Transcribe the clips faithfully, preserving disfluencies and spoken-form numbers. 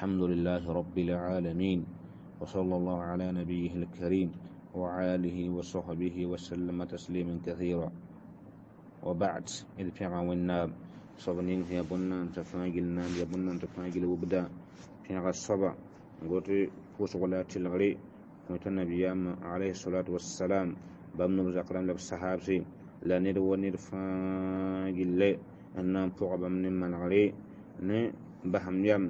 الحمد لله رب العالمين وصلى الله على نبيه الكريم وعلى آله وصحبه وسلم تسليما كثيرا وبعد إذ بيغا والناب صبنين هي بنا تفاجل نام يا بنا تفاجل وبدا بيغا الصبا قلت فوس ولا تلغري قلت النبي عليه الصلاة والسلام بمن بزقرام لب الصحابسي لا ند ونر فاجل أن فوق بمن من غري ne baham yam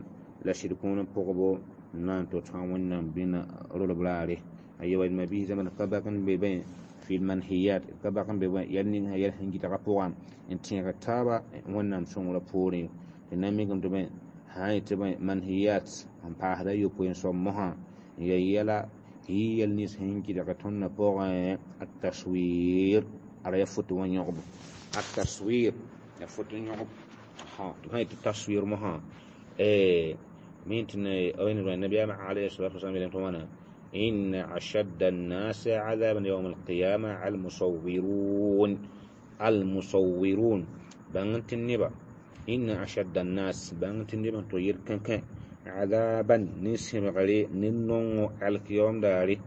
la shirkun pʋgbo n na n tɩ tõa wẽnnaam bĩna rolb raare a yewa ma biis zãma ka bak n be bẽ fi lmanhiyat ka bak n be bẽ yɛl ning sã yɛl sẽn gɩdga pʋgã n tẽeg taaba wẽnnaam sõngrã poorẽ tɩ na n mikame tɩ bẽ sã n yetɩ bẽ manhiyat n paasda yopoe n soab mosã n ya yɛla yɩ yɛl nins sẽn gɩdg tõndã pʋgẽ ataswir ara ya foto wã yõgbo ataswir ya foto yõgb tɩ sã yetɩ taswir mosã من النبي عليه الصلاة والسلام إن أشد الناس عذابا يوم القيامة المصورون المصورون بانت النبا إن أشد الناس بانت النبا تغير كان كان عذابا نسم غري ننو على القيام داري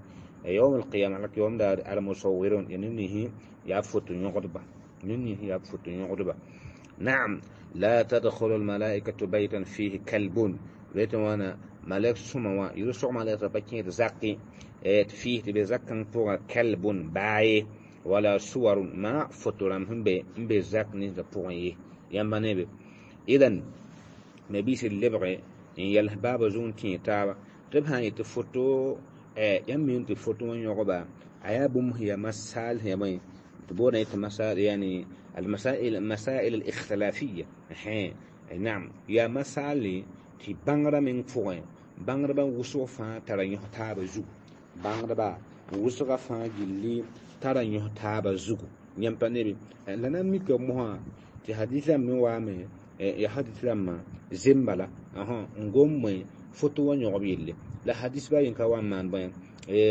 يوم القيامة على القيام داري المصورون يعني نهي يفوت يغضب ننهي يفوت يغضب نعم لا تدخل الملائكة بيتا فيه كلب بيت وانا ملك سما يرسع ملك بكين زقي فيه تبزكن فوق كلب باي ولا صور ما فترام هم بي بزق نيز بوغي يamba nebe idan mabis lebge n yɛls baaba zug n tẽ taaba tɩ b sã n yetɩ foto yãmb mi tɩ foto wã yõgba a yaa bũmb sẽn yaa masal sẽn yaa bõe tɩ boodã yetɩ masal yani المسائل المسائل الاختلافية نعم يا مسائل tɩ bãngrã meng pʋgẽ bãngdbã wʋsg fãa tara yõs taaba zugu bãngdba wʋsga fãa gilli tara yõs taaba zugu yãmb pa nebe la na n mika mosã tɩ hadis rãmb me waame ya hadis rãmbã zem bala n gom bõe foto wã yõgb yelle la hadis ba yen ka wa n maan bõe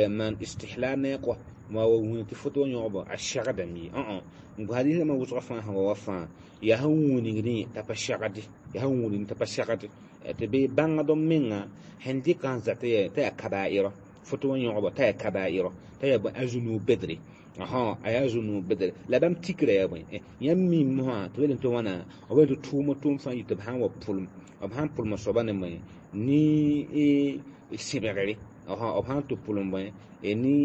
maan istihlal ne kɔ ma wa wũni tɩ foto wã yõgb a segdame ye n hadis rãmbã wʋsga fãa sẽn wa wa fãa yaa sẽn wĩnigdẽ t'a pa segde yaa sẽn wĩnigdẽ t'a pa segde tɩ bɩ bãngd m menga sẽn dɩka n zata t'a yaa kabaa'ira foto wã yõgba t'a yaa kabaa'ira t'a yaa a zũnug bedre a yaa zũnug bedre la bãmb tikra yaa bõe yãmb mi mosã tɩ b tɩ wãna b tɩ tʋʋm tʋʋm fãa yɩ tɩ b sãn wa pʋlem b sãn pʋlem soaba ne bõe ne sẽbgre b sãn tɩ pʋlem bõe ne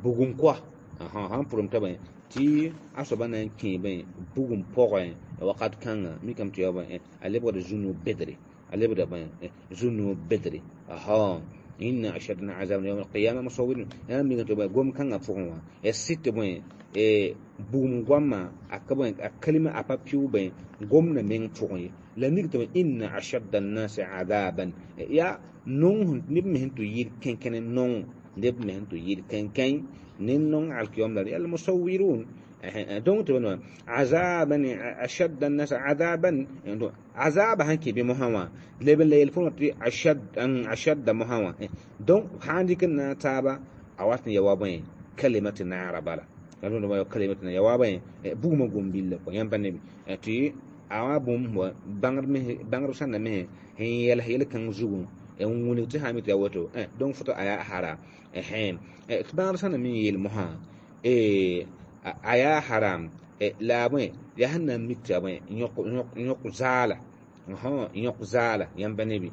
bugum koa sãn pʋlem t'a bõe tɩ a soaba na n kẽ bõe bugum pʋgẽ wakat kãnga mikame tɩ yaa bõe a lebgda zũnug bedre a lebda bõe zũnug bedre إن أشدنا عذابا يوم القيامة مصورون يا مين تبغى قوم كان أفهم الست بوين بوم قوما أكبر الكلمة أبابيو بين قومنا من فوقي لأنك تبغى إن أشد الناس عذابا يا نون نبمهن تير كن كن نون نبمهن تير كن كن نون على القيام المصورون دونك تبغى عذابا أشد الناس عذابا عذاب هنكي بمهوا لبن ليلفون أشد أشد مهوا دونك عندك تابا أواتني يوابين كلمة نار بلا قالوا له كلمة يوابين بوما قوم بالله ينبني تي awa bũmb wa bãngr bãngr sãn na me sẽn yɛls yel kãng zugu n wilg tɩ sã n mi tɩ ya woto donc foto a yaa haram tɩ bãngr sãn na me n yeel mosã a yaa haram la bõe yaa sẽn na n mik tɩ ya bõe yõk zaala yõk zaala yãmb pa nebi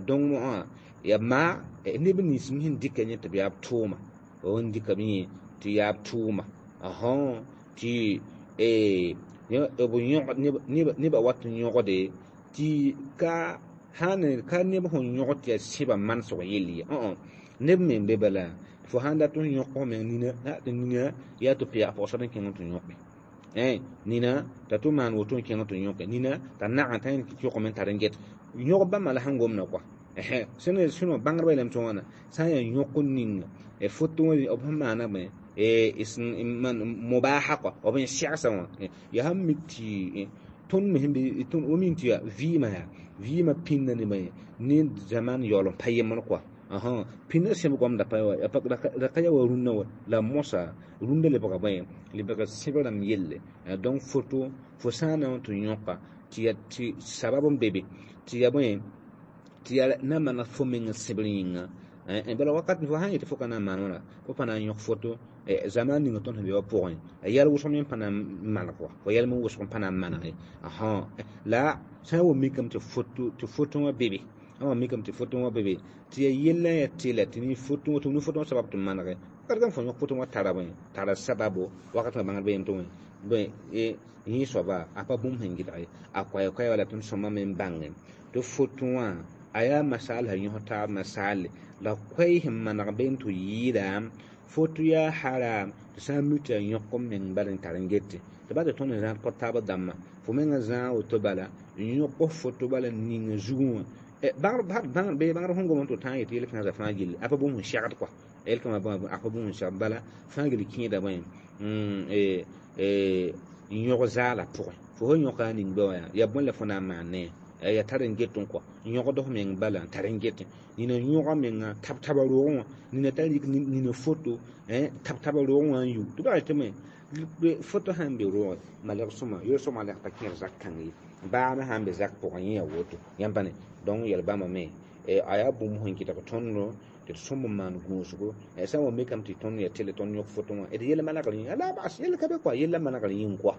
donc mosã ya maa neb nins me sẽn dɩka yẽ tɩ b yaa b tʋʋma n dɩka b yẽ tɩ yaa b tʋʋma tɩ nebã wat n yõgde tɩ ka sãn ka neb sẽn yõgd tɩ yaa sẽba manesg yell ye neb me n be bala fo sãn dat n yõk f meng nina tɩ nina yaa tɩ pɛɛg pɔgsd n kẽng tɩ yõke nina t'a tɩ maan woto n kẽng tɩ yõke nina t'a nag n tã yõkame n tar n get yõg bãmba la sẽn gomda kɔa sẽn sẽn bãngdbã yeelame tɩ wãna sã n yaa yõk ninga foto b sẽn maana bõe mubaha kɔa b n segsã wã yaa sẽn mik tɩ tõnd me sẽn be tõnd wa min tɩ yaa vɩɩmã yaa vɩɩmã pĩnda ne bõe ne zaman yaool n pa yemd kɔa pĩndã sẽb goamda pa ra ka yaa wa rũnnã wa la mosa rũndã lebga bõe lebga sẽb rãmb yelle donc foto fo sã n na n tɩ yõka tɩ ya tɩ sabab n be be tɩ ya bõe tɩ yaa na maneg fo meng sẽbr yĩnga bala wakat fo sã n yetɩ fo ka na n maan wãna fo pa na n yõk foto zaman ninga tõnd sẽn be wã pʋgẽ yɛl wʋsg me pa na n maneg wa fo yɛlm wʋsg n pa na n manege la sã n wa mikame tɩ foto tɩ foto wã be be sã wa mikame tɩ foto wã be be tɩ yaa yella yaa tɩlɛ tɩ ne foto tɩ ne foto wã sabab tɩ manege wakat fo yõk foto wã tara bõe tara sababo wakat bãngd be yem tɩ bõe yẽ soaba a pa bũmb sẽn gɩdg ye a koɛɛ koɛɛ wala tõnd sõma me n bãngẽ tɩ foto wã a yaa masaal sẽn yõs taab masaale la koɛɛ sẽn maneg be n tɩ yɩɩda foto yaa haram tɩ sã n mi tɩ yaa yõk n meng bala n tar n gete tɩ ba tɩ tõnd n zãad kõ taab dãmbã fo mengã zãag woto bala n yõk foto bala n ning zugẽ wã bãngd bãngd sẽn gom tɩ tã n yetɩ yel-kãensã fãa gilli a pa bũmb sẽn segd kɔa yel-kãmã a pa bũmb sẽn segd bala fãa gill kẽeda bõe n yõg zaala pʋgẽ fo sẽn yõka a ning be wã yaa bõe la fo na n maan ne ya tar n get n kɔ yõgd f meng bala n tar n get nina yõga menga tab taba roogẽ wã nina tar yik nina foto tab taba roogẽ wã n yu tɩ baa tɩ me foto sãn be roogẽ malg sõma yel sõma la pa kẽer zak kãng ye baa me sãn be zak pʋgẽ yẽ yaa woto yãmb pa ne donc yɛl bãmba me a yaa bũmb sẽn kɩtg tõndo tɩ d sõm n maan gũusgo sã n wa mikame tɩ tõnd yaa tɩl tõnd yõk foto wã d yel manegr yĩnga la bas yell ka be kɔa yella manegr yĩng kɔa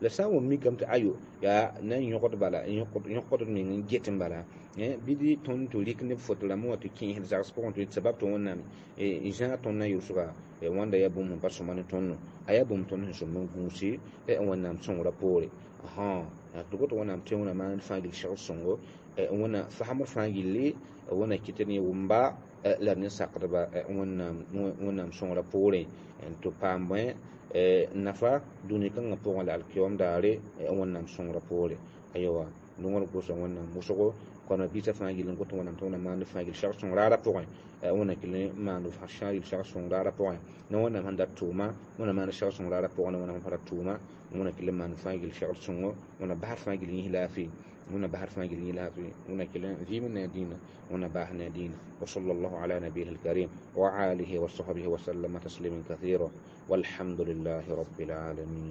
la sã n wa mikame tɩ ayo yaa na n yõgd bala yõkd meng n get n bala bɩ dɩ tõnd tɩ rɩk neb foto rãmbã wã tɩ kẽesd zags pʋgẽ tɩ sabab tɩ wẽnnaam n zãag tõnd na yʋlsga wãnda yaa bũmb sẽn pa sõma ne tõndo a yaa bũmb tõnd sẽn sõm n gũusi wẽnnaam sõngrã poore tɩ goto wẽnnaam tẽngã maan fãa gil segd sõngo wẽna fasemd fãa gilli wẽna kɩt ne wʋmba la d ne sakdba wẽnnaam wẽnnaam sõngrã poorẽ tɩ paam bõe nafa dũni kãngã pʋgẽ la alkiyom daare wẽnnaam sõngrã poore ayowa nongr gʋsa wẽnnaam wʋsgo kɔna biisã fãa gill n got wẽnnaam tɩ wẽnnaam maand fãa gil segd sõng raarã pʋgẽ wẽnna kɩl n maand gil segd sõng raarã pʋgẽ ne wẽnnaam sẽn dat tʋʋma wẽnna maand segd sõng raarã pʋgẽ ne wẽnnaam sẽn pa rat tʋʋma wẽnna kɩl n maand fãa gil segd sõngo wẽnna basd fãa gil yĩs laafɩ wẽnna basd fãa gil yĩs laafɩ wẽnna kɩl n vɩɩm ne a dĩinã wẽnna baas ne a dĩinã وصلى الله على نبيه الكريم وعلى آله وصحبه وسلم تسليما كثيرا والحمد لله رب العالمين.